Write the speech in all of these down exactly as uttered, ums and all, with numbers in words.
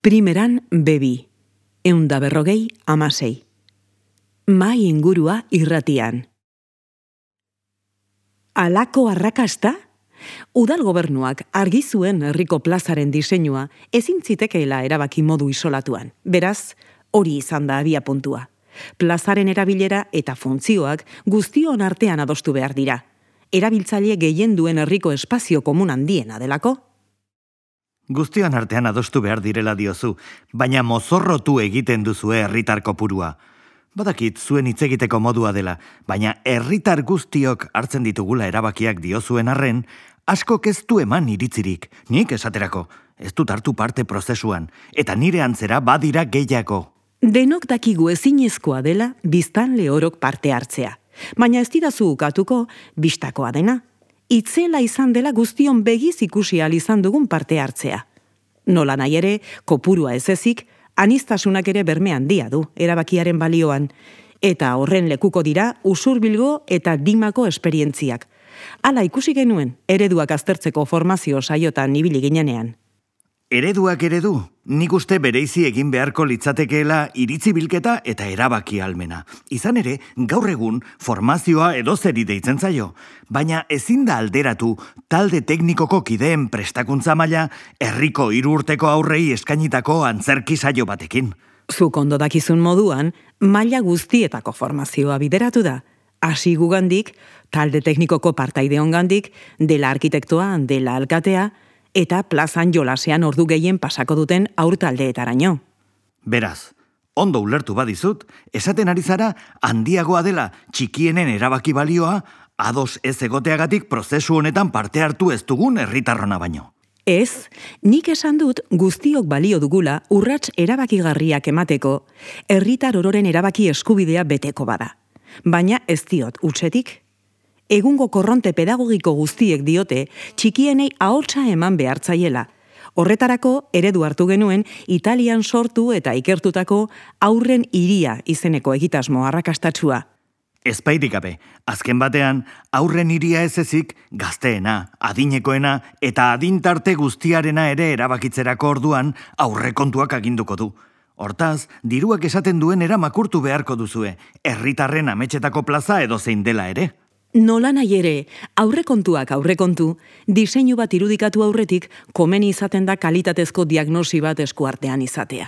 Primeran bebi, eunda berrogei amasei. Mai ingurua irratian. Alako arrakasta? Udal gobernuak argi zuen herriko plazaren diseinua ezin zitekeela erabaki modu isolatuan. Beraz, hori izan da abia puntua. Plazaren erabilera eta funtzioak guztion artean adostu behar dira. Erabiltzaile gehien duen herriko espazio komun handiena delako. Guztion artean adostu behar direla diozu, baina mozorrotu egiten duzue herritar kopurua. Badakit zuen hitz egiteko modua dela, baina herritar guztiok hartzen ditugula erabakiak diozuen arren, askok ez du eman iritzirik, nik esaterako, ez dut hartu parte prozesuan, eta nire antzera badira gehiago. Denok dakigu ezinezkoa dela biztanle orok parte hartzea, baina ez didazu ukatuko bistakoa dena. Itzela izan dela guztion begiz ikusi ahal izan dugun parte hartzea. Nola nahi ere, kopurua ez ezik, aniztasunak ere berme handia du erabakiaren balioan, eta horren lekuko dira usurbilgo eta dimako esperientziak. Hala ikusi genuen, ereduak aztertzeko formazio saiotan ibili ginenean. Ereduak eredu, nik uste bereizi egin beharko litzatekeela iritzi bilketa eta erabaki almena. Izan ere, gaur egun formazioa edozeri deitzen zaio, baina ezin da alderatu talde teknikoko kideen prestakuntza maila herriko hiru urteko aurrei eskainitako antzerki saio batekin. Zuk ondo dakizun moduan, maila guztietako formazioa bideratu da. Hasi gugandik, talde teknikoko partaideongandik, dela arkitektoa, dela alkatea, eta plazan jolasean ordu gehien pasako duten aurtaldeetaraino. Beraz, ondo ulertu badizut, esaten ari zara handiagoa dela txikienen erabaki balioa, ados ez egoteagatik prozesu honetan parte hartu ez dugun herritarrona baino. Ez, nik esan dut guztiok balio dugula urrats erabakigarriak emateko, herritar ororen erabaki eskubidea beteko bada. Baina ez diot utzetik. Egungo korronte pedagogiko guztiek diote txikienei ahotsa eman behartzaiela. Horretarako eredu hartu genuen Italian sortu eta ikertutako Haurren Hiria izeneko egitasmo arrakastatsua. Ezpairik gabe, azken batean, Haurren Hiria ez ezik gazteena, adinekoena eta adintarte guztiarena ere erabakitzerako orduan aurrekontuak aginduko du. Hortaz, diruak esaten duen eramakurtu beharko duzue, herritarren ametsetako plaza edo zein dela ere. Nola nahi ere, aurrekontuak aurrekontu, diseinu bat irudikatu aurretik komeni izaten da kalitatezko diagnosi bat eskuartean izatea.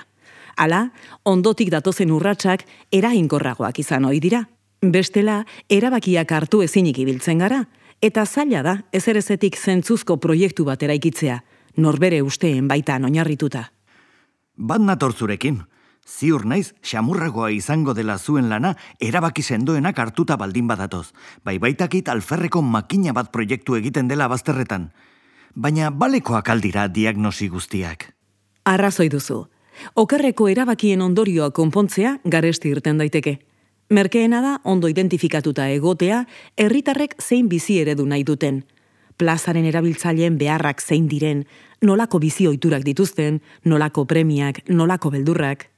Hala, ondotik datozen urratsak eraginkorragoak izan ohi dira. Bestela, erabakiak hartu ezinik ibiltzen gara, eta zaila da ezerezetik zentzuzko proiektu bat eraikitzea, norbere usteen baitan oinarrituta. Bat nator zurekin. Ziur naiz, xamurragoa izango dela zuen lana erabaki sendoenak hartuta baldin badatoz. Bai baitakit alferreko makina bat proiektu egiten dela bazterretan. Baina balekoak aldira diagnosi guztiak. Arrazoi duzu. Okerreko erabakien ondorioa konpontzea garesti irten daiteke. Merkeena da ondo identifikatuta egotea herritarrek zein bizi eredu nahi duten. Plazaren erabiltzaileen beharrak zein diren, nolako bizi ohiturak dituzten, nolako premiak, nolako beldurrak.